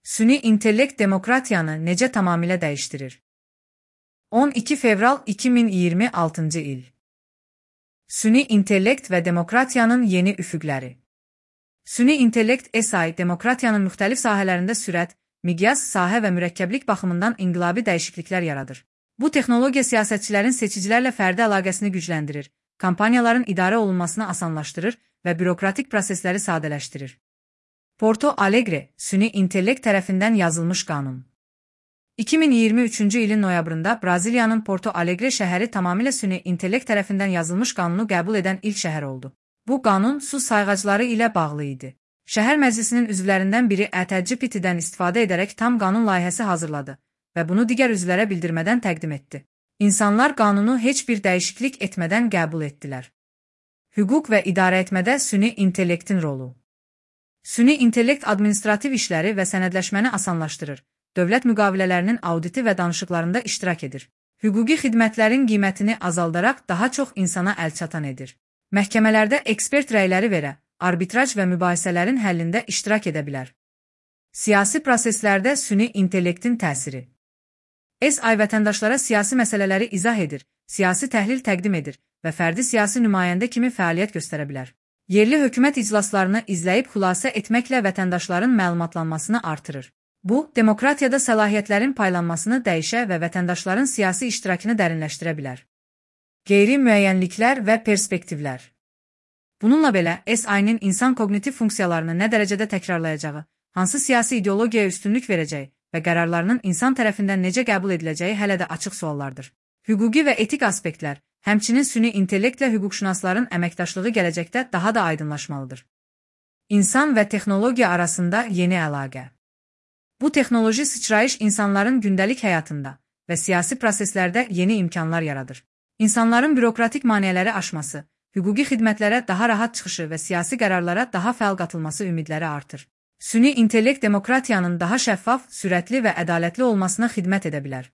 Süni intellekt demokratiyanı necə tamamilə dəyişdirir? 12 fevral 2026 il. Süni intellekt və demokratiyanın yeni üfüqləri. Süni intellekt (AI) demokratiyanın müxtəlif sahələrində sürət, miqyas, sahə və mürəkkəblik baxımından inqilabi dəyişikliklər yaradır. Bu texnologiya siyasətçilərin seçicilərlə fərdi əlaqəsini gücləndirir, kampaniyaların idarə olunmasını asanlaşdırır və bürokratik prosesləri sadələşdirir. Porto Alegre, süni intellekt tərəfindən yazılmış qanun. 2023-cü ilin noyabrında Braziliyanın Porto Alegre şəhəri tamamilə süni intellekt tərəfindən yazılmış qanunu qəbul edən ilk şəhər oldu. Bu qanun su sayğacları ilə bağlı idi. Şəhər məclisinin üzvlərindən biri ChatGPT-dən istifadə edərək tam qanun layihəsi hazırladı və bunu digər üzvlərə bildirmədən təqdim etdi. İnsanlar qanunu heç bir dəyişiklik etmədən qəbul etdilər. Hüquq və idarəetmədə süni intellektin rolu. Süni intellekt administrativ işləri və sənədləşməni asanlaşdırır, dövlət müqavilələrinin auditi və danışıqlarında iştirak edir. Hüquqi xidmətlərin qiymətini azaldaraq daha çox insana əlçatan edir. Məhkəmələrdə ekspert rəyləri verə, arbitraj və mübahisələrin həllində iştirak edə bilər. Siyasi proseslərdə süni intellektin təsiri. AI vətəndaşlara siyasi məsələləri izah edir, siyasi təhlil təqdim edir və fərdi siyasi nümayəndə kimi fəaliyyət göstərə bilər. Yerli hökumət iclaslarını izləyib xülasə etməklə vətəndaşların məlumatlanmasını artırır. Bu, demokratiyada səlahiyyətlərin paylanmasını dəyişə və vətəndaşların siyasi iştirakını dərinləşdirə bilər. Qeyri-müəyyənliklər və perspektivlər. Bununla belə, AI-nin insan koqnitiv funksiyalarını nə dərəcədə təkrarlayacağı, hansı siyasi ideologiyaya üstünlük verəcəyi və qərarlarının insan tərəfindən necə qəbul ediləcəyi hələ də açıq suallardır. Hüquqi və etik aspektlər, həmçinin süni intellektlə hüquqşünasların əməkdaşlığı gələcəkdə daha da aydınlaşmalıdır. İnsan və texnologiya arasında yeni əlaqə. Bu texnoloji sıçrayış insanların gündəlik həyatında və siyasi proseslərdə yeni imkanlar yaradır. İnsanların bürokratik maneələri aşması, hüquqi xidmətlərə daha rahat çıxışı və siyasi qərarlara daha fəal qatılması ümidləri artır. Süni intellekt demokratiyanın daha şəffaf, sürətli və ədalətli olmasına xidmət edə bilər.